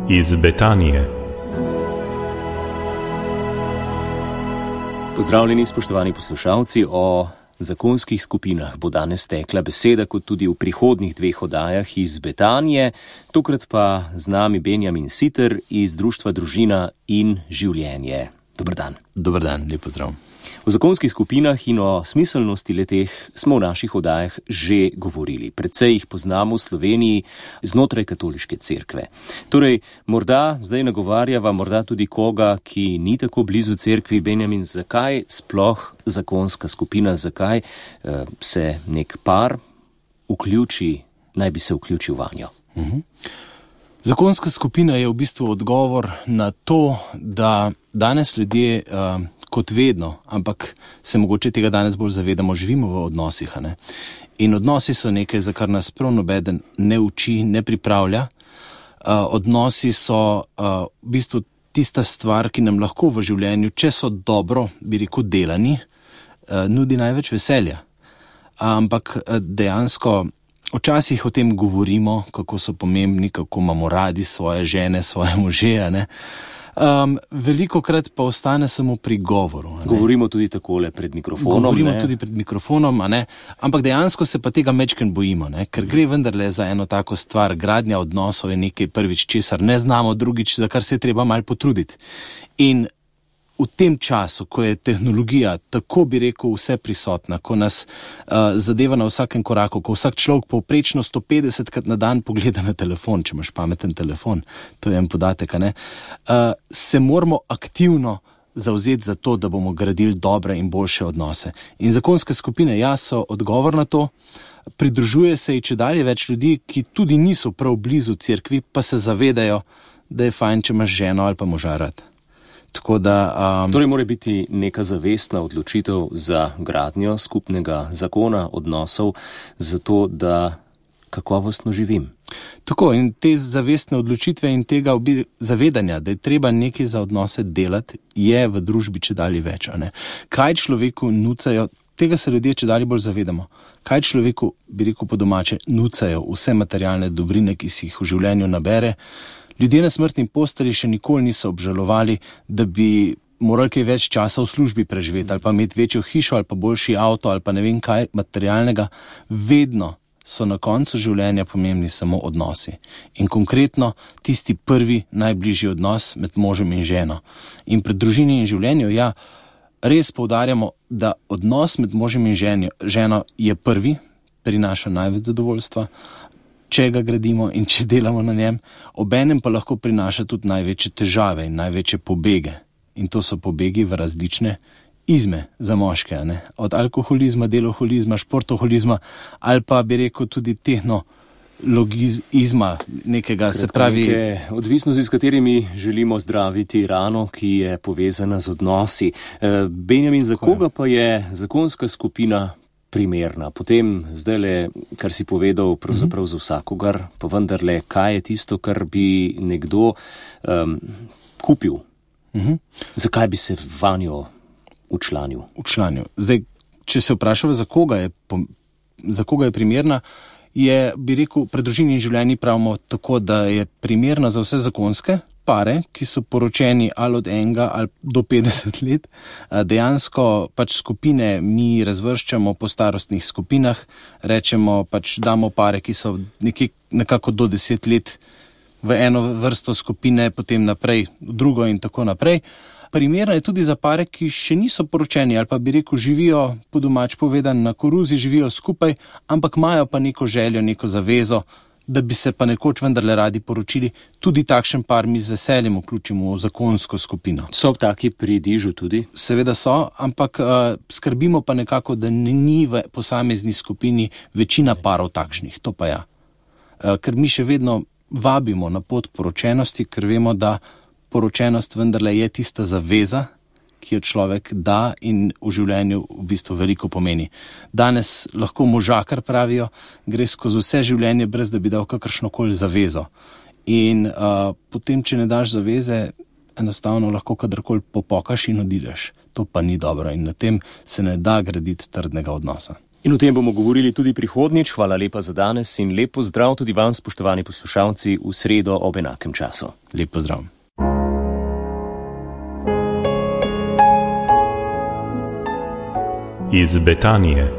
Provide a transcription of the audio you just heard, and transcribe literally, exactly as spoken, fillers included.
iz Betanije. Pozdravljeni, spoštovani poslušalci, o zakonskih skupinah bo danes tekla beseda, kot tudi v prihodnjih dveh oddajah iz Betanije, tokrat pa z nami Benjamin Siter iz Društva Družina in življenje. Dober dan. Dober dan, lep pozdrav. O zakonskih skupinah in o smiselnosti leteh smo v naših oddajah že govorili. Predvsej jih poznamo v Sloveniji znotraj katoliške cerkve. Torej, morda zdaj nagovarjava morda tudi koga, ki ni tako blizu cerkvi. Benjamin, zakaj sploh zakonska skupina, zakaj eh, se nek par vključi, naj bi se vključil vanjo? Mhm. Zakonska skupina je v bistvu odgovor na to, da danes ljudje, uh, kot vedno, ampak se mogoče tega danes bolj zavedamo, živimo v odnosih. Ne? In odnosi so nekaj, za kar nas prav nobeden ne uči, ne pripravlja. Uh, odnosi so uh, v bistvu tista stvar, ki nam lahko v življenju, če so dobro, bi rekel, delani, uh, nudi največ veselja. Uh, ampak uh, dejansko včasih o tem govorimo, kako so pomembni, kako imamo radi svoje žene, svoje može, ne. Um, veliko krat pa ostane samo pri govoru. Govorimo tudi takole pred mikrofonom. Govorimo ne? tudi pred mikrofonom, a ne. Ampak dejansko se pa tega mečken bojimo, ne. Ker gre vendarle za eno tako stvar. Gradnja odnosov je nekaj prvič, česar ne znamo, drugič, za kar se je treba malo potruditi. In v tem času, ko je tehnologija tako, bi rekel, vse prisotna, ko nas uh, zadeva na vsakem koraku, ko vsak človek povprečno sto petdesetkrat na dan pogleda na telefon, če imaš pameten telefon, to je en podatek, a ne, uh, se moramo aktivno zavzeti za to, da bomo gradili dobre in boljše odnose. In zakonske skupine, ja, so odgovor na to. Pridružuje se i čedalje več ljudi, ki tudi niso prav blizu cerkvi, pa se zavedajo, da je fajn, če imaš ženo ali pa moža rad. Tako da, um, torej mora biti neka zavestna odločitev za gradnjo skupnega zakona, odnosov, zato da kakovostno živim. Tako, in te zavestne odločitve in tega obi, zavedanja, da je treba nekaj za odnose delati, je v družbi čedalje več. A ne? Kaj človeku nucajo, tega se ljudje čedalje bolj zavedamo, kaj človeku, bi rekel po domače, nucajo vse materialne dobrine, ki si jih v življenju nabere. Ljudje na smrtni postelji še nikoli niso obžalovali, da bi morali kaj več časa v službi preživeti ali pa imeti večjo hišo ali pa boljši avto ali pa ne vem kaj materialnega. Vedno so na koncu življenja pomembni samo odnosi. In konkretno tisti prvi, najbližji odnos med možem in ženo. In pred družini in življenju, ja, res poudarjamo, da odnos med možem in ženjo, ženo je prvi, prinaša največ zadovoljstva, če ga gradimo in če delamo na njem, obenem pa lahko prinaša tudi največje težave in največje pobege. In to so pobegi v različne izme za moške, ne? Od alkoholizma, deloholizma, športoholizma ali pa bi rekel tudi tehnologizma nekega, Skratka, se pravi... Neke odvisnosti, s katerimi želimo zdraviti rano, ki je povezana z odnosi. E, Benjamin, za koga pa je zakonska skupina primerna? Potem, zdajle, kar si povedal, pravzaprav za vsakogar, pa vendarle, kaj je tisto, kar bi nekdo um, kupil? Uh-huh. Zakaj bi se vanjo učlanil? Učlanil. Zdaj, če se vprašava, za koga je, za koga je primerna, je, bi rekel, pred družini in življenji pravimo tako, da je primerna za vse zakonske pare, ki so poročeni ali od enega ali do petdeset let. Dejansko pač skupine mi razvrščamo po starostnih skupinah, rečemo pač damo pare, ki so nekje, nekako do deset let v eno vrsto skupine, potem naprej v drugo in tako naprej. Primerna je tudi za pare, ki še niso poročeni ali pa bi rekel živijo, po domač povedan, na koruzi, živijo skupaj, ampak imajo pa neko željo, neko zavezo, da bi se pa nekoč vendarle radi poročili. Tudi takšen par mi z veseljem vključimo v zakonsko skupino. So taki pri dižu tudi? Seveda so, ampak uh, skrbimo pa nekako, da ni v posamezni skupini večina parov takšnih, to pa ja. Uh, ker mi še vedno vabimo na pot poročenosti, ker vemo, da poročenost vendarle je tista zaveza, ki jo človek da in v življenju v bistvu veliko pomeni. Danes lahko možakar pravijo, gre skozi vse življenje, brez da bi dal kakršnokoli zavezo. In uh, potem, če ne daš zaveze, enostavno lahko kadarkoli popokaš in odideš. To pa ni dobro in na tem se ne da graditi trdnega odnosa. In o tem bomo govorili tudi prihodnjič. Hvala lepa za danes in lep pozdrav tudi vam, spoštovani poslušalci, v sredo ob enakem času. Lep pozdrav. Iz Betanije.